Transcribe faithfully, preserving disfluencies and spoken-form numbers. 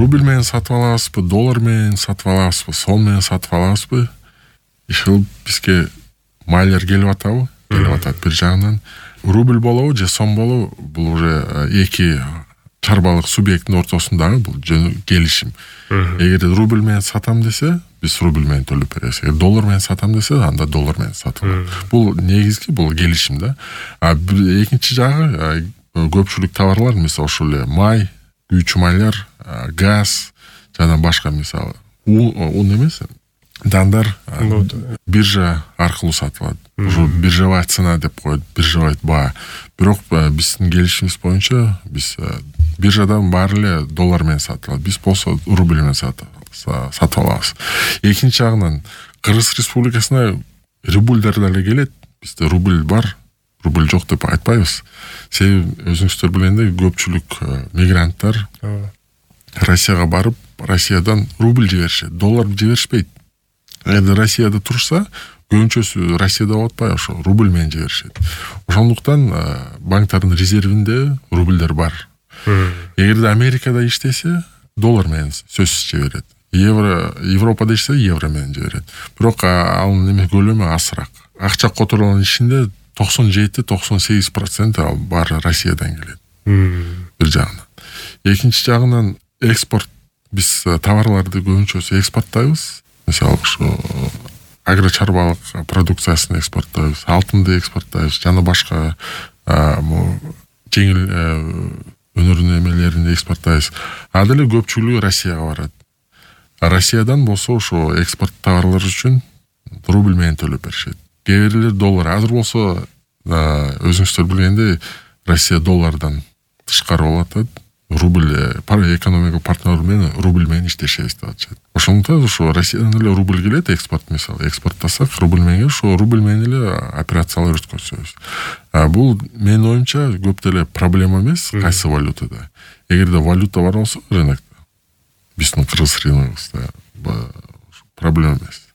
рубль менен сатып алабызбы, доллар менен сатып алабызбы, сом менен сатып алабызбы? Ишил бизге майлер келип атабы? Келип атат бир жагынан. Рубль болобу же сом болобу, бул уже эки чарбалык субъекттин ортосундагы бул келишим. Эгер рубль менен сатам десе, биз рубль менен төлөп беребиз. Эгер доллар менен сатам десе, анда доллар менен сатып алабыз. Бул негизги, бул келишим да. А экинчи жагы көпчүлүк товарлар, мисалы ошол эле май, күйүүчү майлар, газ жана башка, мисалы ун эмес, дандар биржа аркылуу сатылат. Ошо биржевая цена деп коет, биржевая баа. Бирок биздин келишимибиз боюнча биз биржадан баары эле доллар менен сатылат. Биз болсо рубль менен сатып алабыз. Экинчи жагынан Кыргыз Республикасына рубльдер деле келет. Бизде рубль бар, рубль жок деп айтпайбыз. Себеби өзүңүздөр билгендей көпчүлүк мигранттар Россияга барып, Россиядан рубль жиберишет, доллар жиберишпейт. Эгер Россияда турса, көбүнчөсү Россияда болуп атпайбы, ошо рубль менен жиберишет. Ошондуктан банктардын резервинде рубльдер бар. Эгерде Америкада иштесе, доллар менен сөзсүз жиберет. Евро, Европада ишсе евро менен жиберет. Бирок анын эме көлөмү азыраак. Акча которгон ишинде токсон жети токсон сегиз процент ал баары Россиядан келет. Бир жагынан. Экинчи жагынан экспорт, биз товарларды көбүнчөсү экспорттойбуз. Мисалы ошо агро чарбалык продукциясын экспорттойбуз, алтынды экспорттойбуз, жана башка жеңил өнөрүн эмелерин экспорттойбуз. А деле көпчүлүгү Россияга барат. А Россиядан болсо ошо экспорт товарлар үчүн рубль менен төлөп беришет. Кээ бирлер доллар. Азыр болсо өзүңүздөр билгендей Россия доллардан тышкары болуп атат. Рубль экономика партнеры менен рубль менен иштешебиз деп атышат. Ошондуктан ошо Россиядан эле рубль келет, экспорт мисалы экспорттасак рубль менен, ошо рубль менен эле операциялар өткөзөбүз. А бул менин оюмча көп деле проблема эмес кайсы валютада. Эгерде валюта бар болсо рынокто, биздин Кыргыз рыногубузда проблема эмес.